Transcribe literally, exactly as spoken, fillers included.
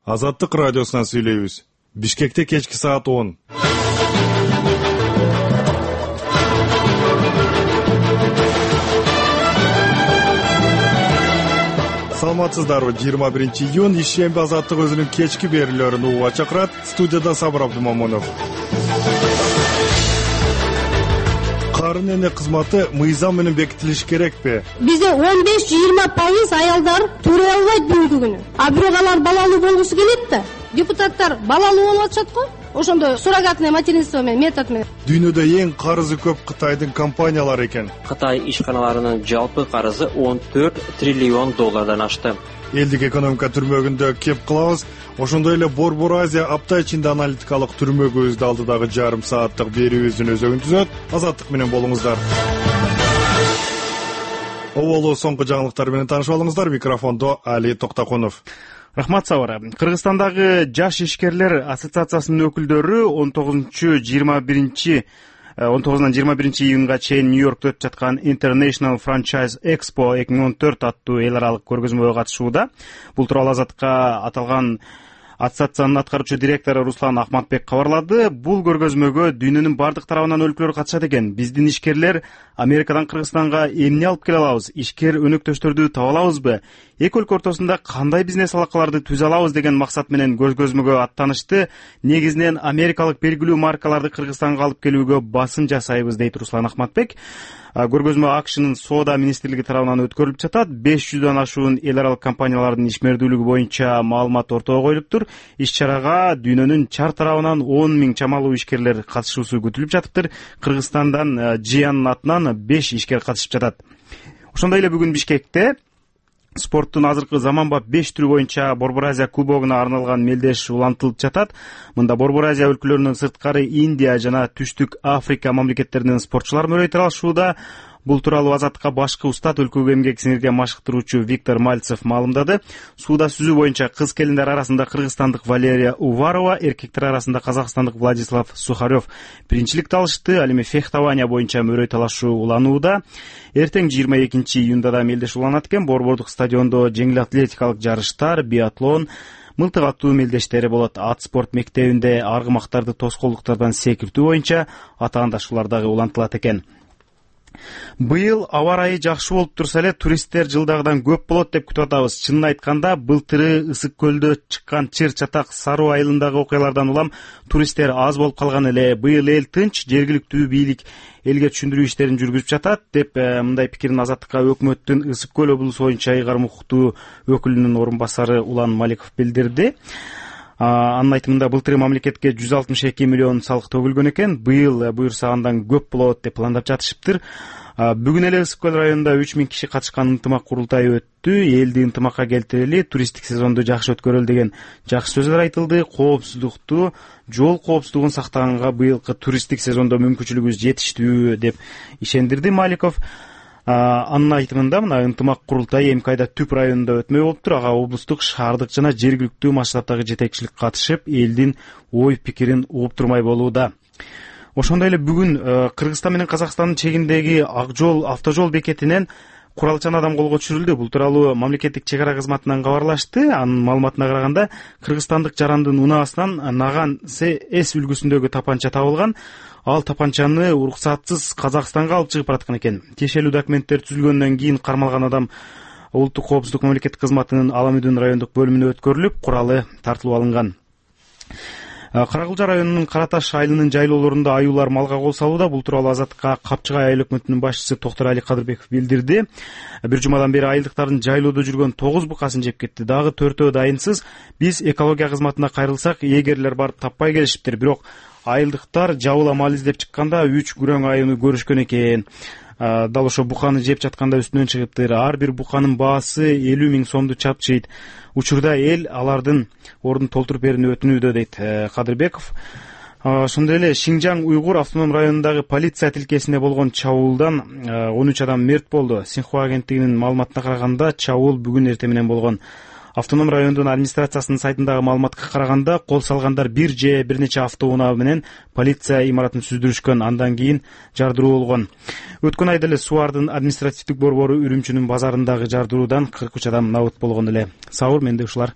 Азаттык радиосунан сүйлөйбүз. Бишкекте кечки саат он. Саламатсыздарбы? жыйырма биринчи июнь ишемби Азаттык өзүнүн кечки берүүлөрүн угууга чакырат. Студияда Сабыр Абдумамунов. Карын эне кызматы мыйзам менен бекитилиш керекпи? Бизде он беш жыйырма пайыз аялдар төрөй албайт бүгүнкү күнү. А бирок алар балалуу болгусу келет да. Депутаттар балалуу болуп атышат го. Ошондо суррогатное материнство менен, метод менен. Дүйнөдө эң карызы көп Кытайдын компаниялары экен. Кытай ишканаларынын жалпы карызы он төрт триллион доллардан ашты. Элдик экономика түрмөгүндө кеп кылабыз. Ошондой эле Борбор Азия апта ичинде аналитикалык түрмөгүбүздү алдыдагы жарым сааттык берүүбүздүн өзөгүн түзөт. Азаттык менен болуңуздар. Оболу соңку жаңылыктар менен таанышып алыңыздар. Микрофондо Али Токтокунов. Рахмат Сабыр. Кыргызстандагы жаш ишкерлер ассоциациясынын өкүлдөрү он тогузунчу жыйырма биринчи он тогузунан жыйырма биринчи июнга чейин Нью-Йоркто өтүп жаткан International Franchise Expo эки миң он төрт аттуу эл аралык көргөзмөгө катышууда. Бул тууралуу Азаттыкка аталган ассоциациянын аткаруучу директору Руслан Ахматбек кабарлады. Бул көргөзмөгө дүйнөнүн бардык тарабынан өлкөлөр катышат экен. Биздин ишкерлер Америкадан Кыргызстанга эмне алып келе алабыз? Ишкер өнөктөштөрдү таба алабызбы? Эки өлкө ортосунда кандай бизнес алакаларды түзө алабыз деген максат менен көргөзмөгө аттанышты. Негизинен америкалык белгилүү маркаларды Кыргызстанга алып келүүгө басым жасайбыз, дейт Руслан Ахматбек. Көргөзмө АКШнын соода министрлиги тарабынан өткөрүлүп жатат. беш жүздөн ашуун эл аралык компаниялардын ишмердүүлүгү боюнча маалымат ортого коюлуптур. Иш-чарага дүйнөнүн чар тарабынан он миң чамалуу ишкерлер катышуусу күтүлүп жатыптыр. Кыргызстандан Жиянын атынан беш ишкер катышып жатат. Ошондой эле бүгүн Бишкекте спорттун азыркы заманбап беш түрү боюнча Борбор Азия кубогуна арналган мелдеш улантылып жатат. Мында Борбор Азия өлкөлөрүнөн сырткары Индия жана Түштүк Африка мамлекеттеринен спортчулар мөрөйт алышууда. Бул тууралуу Азаттыкка башкы устат өлкөгө эмгек сиңирген машыктыруучу Виктор Мальцев маалымдады. Сууда сүзүү боюнча кыз келиндер арасында кыргызстандык Валерия Уварова, эркектер арасында казакстандык Владислав Сухарев биринчиликти алышты. Ал эми фехтование боюнча мөрөй талашуу уланууда. Эртең жыйырма экинчи июнда да мелдеш уланат экен. Борбордук стадиондо жеңил атлетикалык жарыштар, биатлон, мылтык атуу мелдештери болот. Ат спорт мектебинде аргымактарды тоскоолдуктардан секиртүү боюнча атаандашуулар дагы улантылат экен. Быйыл аба ырайы жакшы болуп турса эле туристтер жылдагыдан көп болот деп күтүп атабыз. Чынын айтканда, былтыры Ысык көлдө чыккан чыр чатак Саруу айылындагы окуялардан улам туристтер аз болуп калган эле. Быйыл эл тынч, жергиликтүү бийлик элге түшүндүрүү иштерин жүргүзүп жатат деп мындай пикирин Азаттыкка өкмөттүн Ысык көл облусу боюнча ыйгарым укуктуу өкүлүнүн орун басары Улан Маликов билдирди. Анын айтымында былтыры мамлекетке жүз алтымыш эки миллион салык төгүлгөн экен. Быйыл буюрса андан көп болот деп пландап жатышыптыр. Бүгүн эле Ысык көл районунда үч миң киши катышкан ынтымак курултайы өттү. Элди ынтымакка келтирели, туристтик сезонду жакшы өткөрөлү деген жакшы сөздөр айтылды. Коопсуздукту, жол коопсуздугун сактаганга быйылкы туристтик сезондо мүмкүнчүлүгүбүз жетиштүү деп ишендирди Маликов. Анын айтымында мына ынтымак курултай эмки айда Түп районунда өтмөй болуптур. Ага облустук, шаардык жана жергиликтүү масштабтагы жетекчилик катышып, элдин ой пикирин угуп турмай болууда. Ошондой эле бүгүн Кыргызстан менен Казакстандын чегиндеги Ак жол автожол бекетинен куралчан адам колго түшүрүлдү. Бул тууралуу мамлекеттик чек ара кызматынан кабарлашты. Анын маалыматына караганда, кыргызстандык жарандын унаасынан Наган С үлгүсүндөгү тапанча табылган. Ал тапанчаны уруксатсыз Казакстанга алып чыгып бараткан экен. Тиешелүү документтер түзүлгөндөн кийин кармалган адам улуттук коопсуздук мамлекеттик кызматынын Аламүдүн райондук бөлүмүнө өткөрүлүп, куралы тартылып алынган. Каракылжа районунун Караташ айылынын жайлоолорунда аюулар малга кол салууда. Бул тууралуу Азаттыкка Капчыгай айыл өкмөтүнүн башчысы Токтор Али Кадырбеков билдирди. Бир жумадан бери айылдыктардын жайлоодо жүргөн тогуз букасын жеп кетти. Дагы төртөө дайынсыз. Биз экология кызматына кайрылсак, эгерлер барып таппай келишиптир. Бирок айылдыктар жабыла мал издеп чыкканда үч күрөң аюуну көрүшкөн экен. Дал ошо буканы жеп жатканда үстүнөн чыгыптыр. Ар бир буканын баасы элүү миң сомду чапчыйт. Учурда эл алардын ордун толтуруп берүүнү өтүнүүдө, дейт Кадырбеков. Ошондой эле Шинжаң Уйгур автоном районундагы полиция тилкесинде болгон чабуулдан он үч адам мерт болду. Синхуа агенттигинин маалыматына караганда, чабуул бүгүн эртең менен болгон. Автоном райондун администрациясынын сайтындагы маалыматка караганда, кол салгандар бир же бир нече автоунаа менен полиция имаратын сүздүрүшкөн, андан кийин жардыруу болгон. Өткөн айда эле Суардын административдик борбору Үрүмчүнүн базарындагы жардыруудан кырк үч адам набыт болгон эле. Сабыр, менде ушулар.